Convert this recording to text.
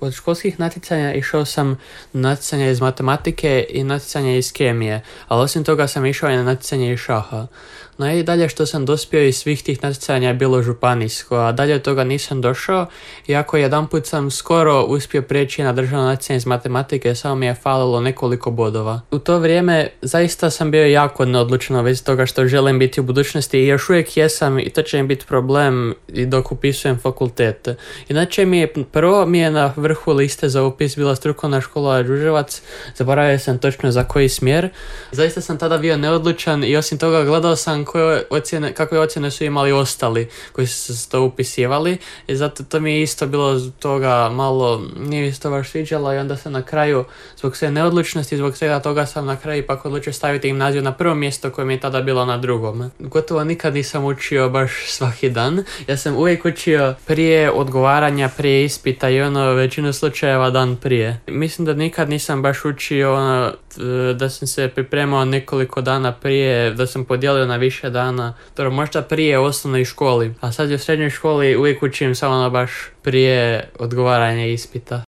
Od školskih natjecanja išao sam na natjecanje iz matematike i natjecanje iz kemije, ali osim toga sam išao i na natjecanje iz šaha. Najdalje što sam dospio iz svih tih natjecanja je bilo županijsko, a dalje od toga nisam došao, iako jedanput sam skoro uspio prijeći na državno natjecanje iz matematike, samo mi je falilo nekoliko bodova. U to vrijeme zaista sam bio jako neodlučan u vezi toga što želim biti u budućnosti i još uvijek jesam i to će mi biti problem i dok upisujem fakultet. Inače prvo mi je na vrhu liste za upis bila strukovna škola Đurđevac, zaboravio sam točno za koji smjer. Zaista sam tada bio neodlučan i osim toga gledao sam kakve ocjene su imali ostali koji su se to upisivali i zato to mi je isto bilo toga malo, nije mi se to baš sviđalo i onda sam na kraju, zbog sve neodlučnosti, zbog svega toga sam na kraju ipak odlučio staviti gimnaziju na prvo mjesto koje mi je tada bilo na drugom. Gotovo nikad nisam učio baš svaki dan, ja sam uvijek učio prije odgovaranja, prije ispita i većinu slučajeva dan prije. Mislim da nikad nisam baš učio da sam se pripremao nekoliko dana prije, da sam podijelio na više dana, možda prije u osnovnoj školi, a sad u srednjoj školi uvijek učim samo baš prije odgovaranja ispita.